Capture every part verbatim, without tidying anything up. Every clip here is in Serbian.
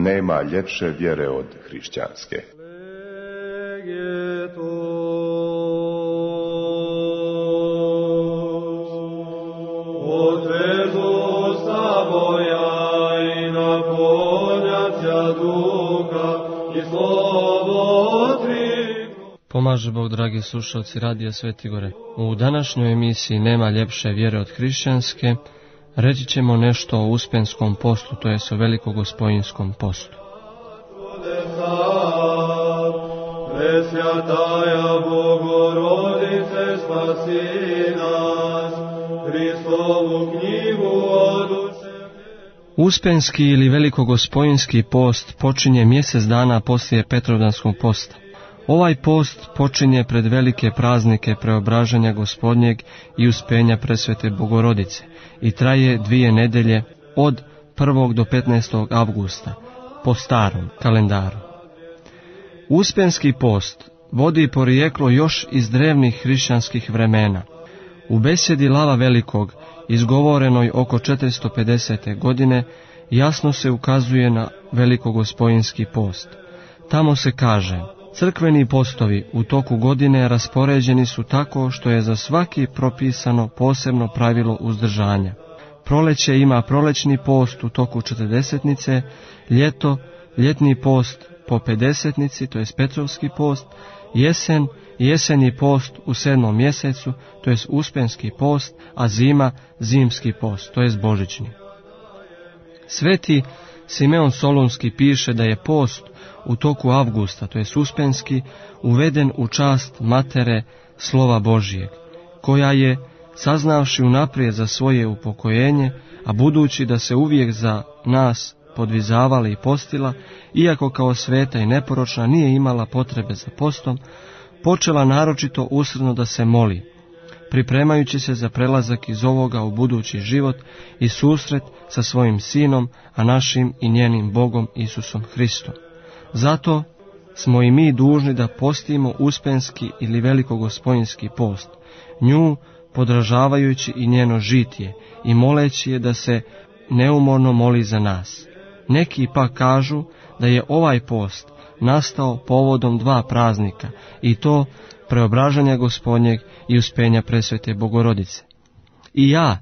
nema ljepše vjere od hrišćanske. Pomaže Bog, dragi slušalci Radija Svetigore. U današnjoj emisiji Nema ljepše vjere od hrišćanske reći ćemo nešto o Uspenskom postu, to jest o Velikogospojinskom postu. Presvjataja Bogorodice, spasi nas, Hristovu knjigu oduče. Uspenski ili Velikogospoinski post počinje mjesec dana poslije Petrovdanskog posta. Ovaj post počinje pred velike praznike Preobraženja Gospodnjeg i Uspenja Presvete Bogorodice i traje dvije nedelje od prvog do petnaestog avgusta po starom kalendaru. Uspenski post vodi porijeklo još iz drevnih hrišćanskih vremena. U besjedi Lava Velikog, izgovorenoj oko četiristo pedesete godine, jasno se ukazuje na Velikogospoinski post. Tamo se kaže: crkveni postovi u toku godine raspoređeni su tako što je za svaki propisano posebno pravilo uzdržanja. Proleće ima prolećni post u toku četrdesetnice, ljeto, ljetni post po pedesetnici, to je Petrovski post, jesen, jesenji post u sedmom mjesecu, to je Uspenski post, a zima, zimski post, to je božićni. Sveti Simeon Solunski piše da je post u toku avgusta, to je Uspenski, uveden u čast Matere Slova Božijeg, koja je, saznavši unaprijed za svoje upokojenje, a budući da se uvijek za nas podvizavala i postila, iako kao sveta i neporočna nije imala potrebe za postom, počela naročito usrdno da se moli, pripremajući se za prelazak iz ovoga u budući život i susret sa svojim Sinom, a našim i njenim Bogom Isusom Hristom. Zato smo i mi dužni da postimo Uspenski ili Velikogospoinski post, nju podražavajući i njeno žitje i moleći je da se neumorno moli za nas. Neki pa kažu da je ovaj post nastao povodom dva praznika, i to Preobraženja Gospodnjeg i Uspenja Presvete Bogorodice. I ja,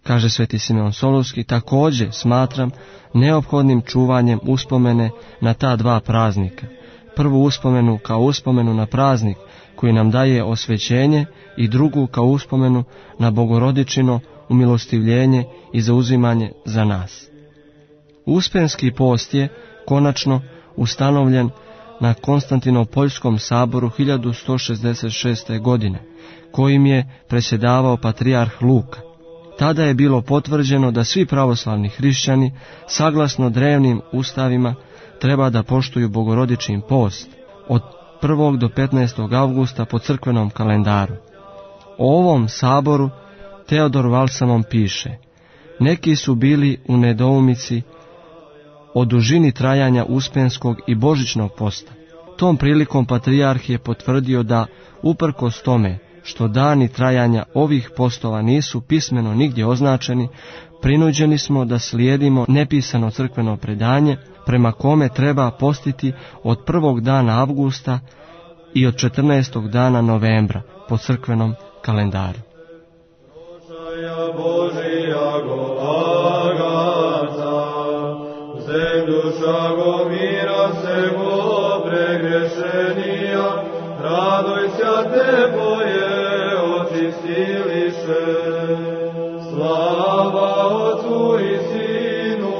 kaže sveti Simeon Solunski, također smatram neophodnim čuvanjem uspomene na ta dva praznika. Prvu uspomenu kao uspomenu na praznik koji nam daje osvećenje i drugu kao uspomenu na Bogorodičino umilostivljenje i zauzimanje za nas. Uspenski post je konačno ustanovljen na Konstantinopoljskom saboru hiljadu sto šezdeset šeste. godine, kojim je predsjedavao patrijarh Luka. Tada je bilo potvrđeno da svi pravoslavni hrišćani, saglasno drevnim ustavima, treba da poštuju Bogorodičin post od prvog do petnaestog avgusta po crkvenom kalendaru. O ovom saboru Teodor Valsamon piše: neki su bili u nedoumici o dužini trajanja Uspenskog i Božićnog posta. Tom prilikom patrijarh je potvrdio da, uprkos tome što dani trajanja ovih postova nisu pismeno nigdje označeni, prinuđeni smo da slijedimo nepisano crkveno predanje, prema kome treba postiti od prvog dana avgusta i od četrnaestog dana novembra po crkvenom kalendaru. Dušago mira se go pregrešenija, radojся te boje očistiliše. Slava Otcu i Sinu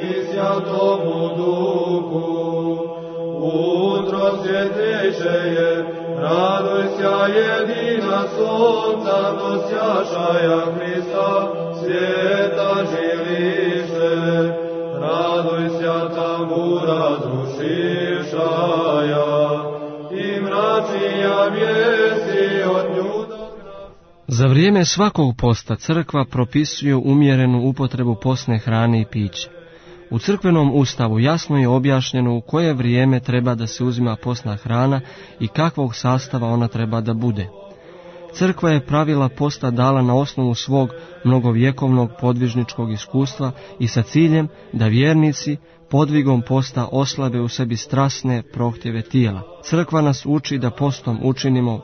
i Svjatomu Duhu, utro svjetleće je, radojся jedina sonca dosjašaja Hrista, svijeta žiliše. Radojся tambura zrušišaja i mračija vijesti od nju. Za vrijeme svakog posta crkva propisuje umjerenu upotrebu postne hrane i pića. U crkvenom ustavu jasno je objašnjeno u koje vrijeme treba da se uzima postna hrana i kakvog sastava ona treba da bude. Crkva je pravila posta dala na osnovu svog mnogovjekovnog podvižničkog iskustva i sa ciljem da vjernici, podvigom posta oslabe u sebi strasne prohtjeve tijela. Crkva nas uči da postom učinimo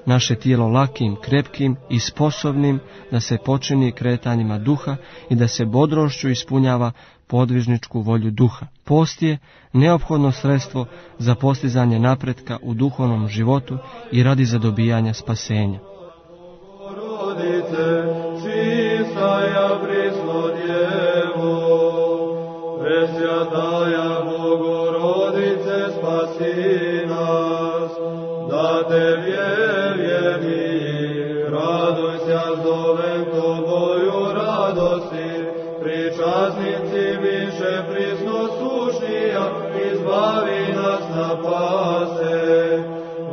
naše tijelo lakim, krepkim i sposobnim da se počini kretanjima duha i da se bodrošću ispunjava podvižničku volju duha. Post je neophodno sredstvo za postizanje napretka u duhovnom životu i radi zadobijanja spasenja. Rodice, čistaja prisno djevo, presvjataja Bogorodice, spasi nas, da te vjerjeni, raduj se, zovem Toboju radosti, pričasnici više prisno sušnija, izbavi nas na pase,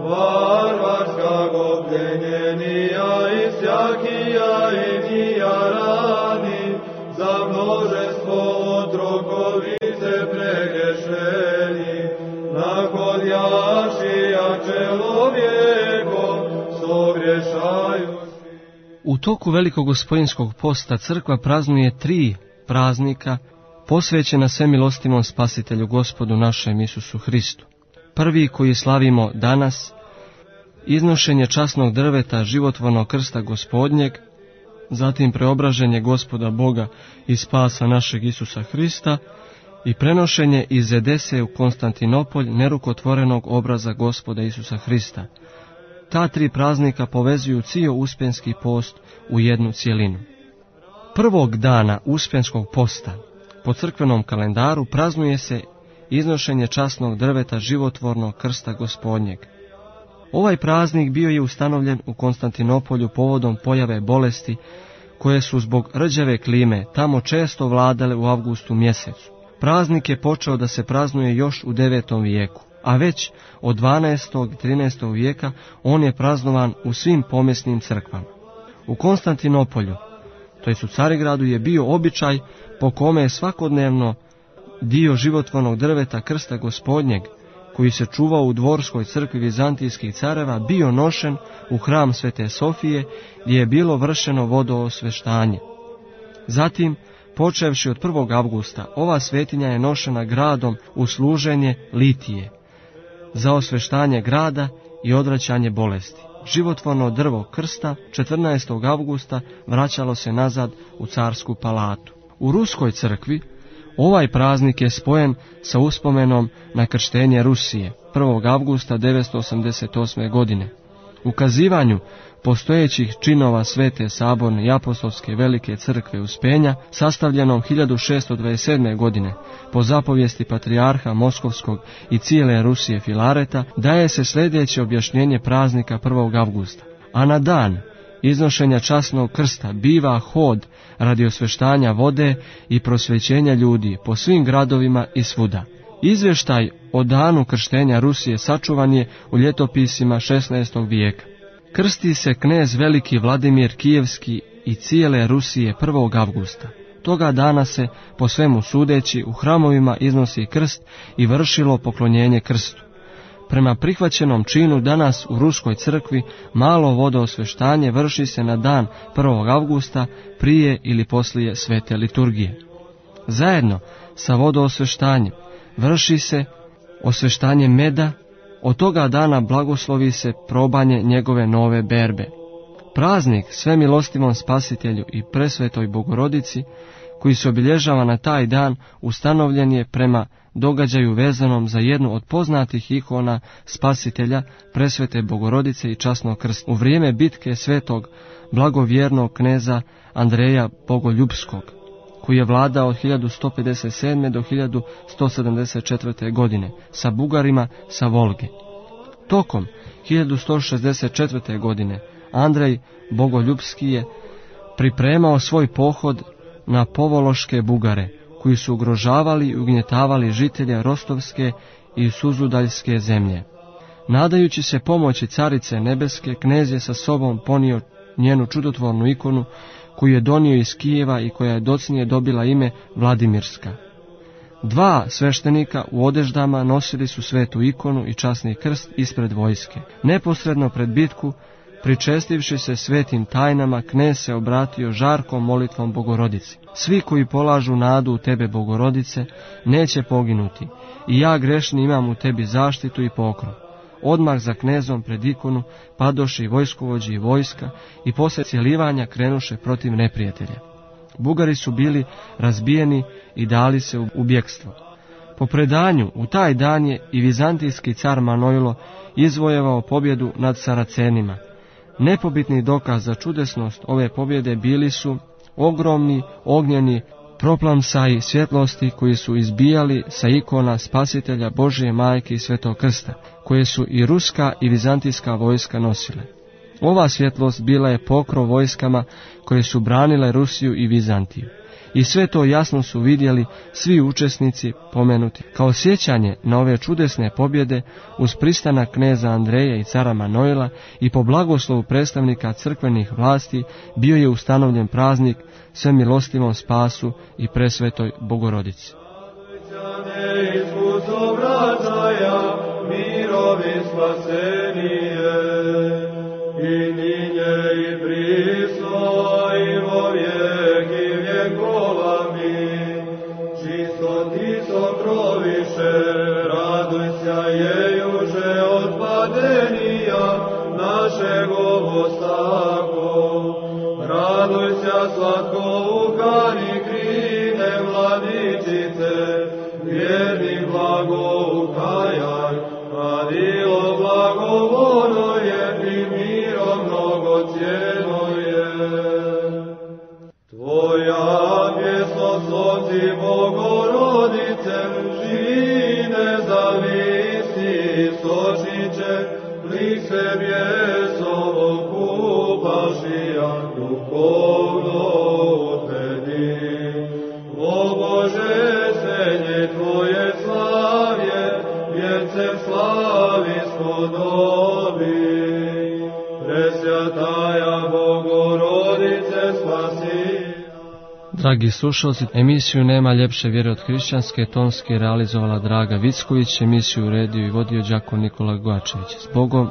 varvarska gobljenjenija i sjakija i nija rani, za množestvo otrokovice pregešeni, nakon jašija čelovjekom sogrešaju. U toku velikog gospodinskog posta crkva praznuje tri praznika posvećena svemilostivom spasitelju Gospodu našem Isusu Hristu. Prvi, koji slavimo danas, iznošenje časnog drveta životvornog krsta Gospodnjeg, zatim preobraženje Gospoda Boga i spasa našeg Isusa Hrista i prenošenje iz Edese u Konstantinopolj nerukotvorenog obraza Gospoda Isusa Hrista. Ta tri praznika povezuju cijel uspjenski post u jednu cjelinu. Prvog dana uspjenskog posta po crkvenom kalendaru praznuje se iznošenje časnog drveta životvornog krsta Gospodnjeg. Ovaj praznik bio je ustanovljen u Konstantinopolju povodom pojave bolesti koje su zbog rđave klime tamo često vladale u avgustu mjesecu. Praznik je počeo da se praznuje još u devetom vijeku, a već od dvanaestog i trinaestog vijeka on je praznovan u svim pomjesnim crkvama. U Konstantinopolju, to jest u Carigradu, je bio običaj po kome je svakodnevno dio životvornog drveta krsta Gospodnjeg, koji se čuvao u dvorskoj crkvi vizantijskih careva, bio nošen u hram Svete Sofije, gdje je bilo vršeno vodoosveštanje. Zatim, počevši od prvog avgusta, ova svetinja je nošena gradom u služenje litije, za osveštanje grada i odvraćanje bolesti. Životvorno drvo krsta četrnaestog avgusta vraćalo se nazad u carsku palatu. U ruskoj crkvi ovaj praznik je spojen sa uspomenom na krštenje Rusije prvog avgusta devetsto osamdeset osme. godine. Ukazivanju postojećih činova Svete saborne i apostolske velike crkve Uspenja, sastavljenom hiljadu šeststo dvadeset sedme. godine po zapovijesti patrijarha Moskovskog i cijele Rusije Filareta, daje se sljedeće objašnjenje praznika prvog avgusta. A na dan iznošenja časnog krsta biva hod radi osveštanja vode i prosvećenja ljudi po svim gradovima i svuda. Izvještaj o danu krštenja Rusije sačuvan je u ljetopisima šesnaestog vijeka. Krsti se knez veliki Vladimir Kijevski i cijele Rusije prvog avgusta. Toga dana se, po svemu sudeći, u hramovima iznosi krst i vršilo poklonjenje krstu. Prema prihvaćenom činu danas u ruskoj crkvi malo vodoosveštanje vrši se na dan prvog avgusta prije ili poslije svete liturgije. Zajedno sa vodoosveštanjem vrši se osveštanje meda, od toga dana blagoslovi se probanje njegove nove berbe. Praznik svemilostivom spasitelju i presvetoj Bogorodici, koji se obilježava na taj dan, ustanovljen je prema događaju vezanom za jednu od poznatih ikona spasitelja, presvete Bogorodice i časnog krsta, u vrijeme bitke svetog blagovjernog kneza Andreja Bogoljubskog, koji je vladao od hiljadu sto pedeset sedme. do hiljadu sto sedamdeset četvrte. godine sa Bugarima sa Volge. Tokom hiljadu sto šezdeset četvrte. godine Andrej Bogoljubski je pripremao svoj pohod na povološke Bugare, koji su ugrožavali i ugnjetavali žitelje Rostovske i Suzudaljske zemlje. Nadajući se pomoći carice nebeske, knez je sa sobom ponio njenu čudotvornu ikonu, koju je donio iz Kijeva i koja je docnije dobila ime Vladimirska. Dva sveštenika u odeždama nosili su svetu ikonu i časni krst ispred vojske. Neposredno pred bitku Pričestivši se svetim tajnama, knez se obratio žarkom molitvom Bogorodici. Svi koji polažu nadu u tebe, Bogorodice, neće poginuti, i ja grešni imam u tebi zaštitu i pokrov. Odmah za knezom pred ikonu padoše i vojskovođi i vojska i poslije cjelivanja krenuše protiv neprijatelja. Bugari su bili razbijeni i dali se u bjekstvo. Po predanju, u taj dan je i vizantijski car Manojlo izvojevao pobjedu nad Saracenima. Nepobitni dokaz za čudesnost ove pobjede bili su ogromni ognjeni proplamsaji svjetlosti koji su izbijali sa ikona Spasitelja, Božje majke i Svetog krsta, koje su i ruska i vizantijska vojska nosile. Ova svjetlost bila je pokrov vojskama koje su branile Rusiju i Vizantiju. I sve to jasno su vidjeli svi učesnici pomenuti. Kao sjećanje na ove čudesne pobjede, uz pristanak kneza Andreja i cara Manojla i po blagoslovu predstavnika crkvenih vlasti, bio je ustanovljen praznik Svemilostivom Spasu i Presvetoj Bogorodici. Dragi slušalci, emisiju Nema ljepše vjere od hrišćanske tonski realizovala Draga Vicković, emisiju uredio i vodio đakon Nikola Gojačević. S Bogom!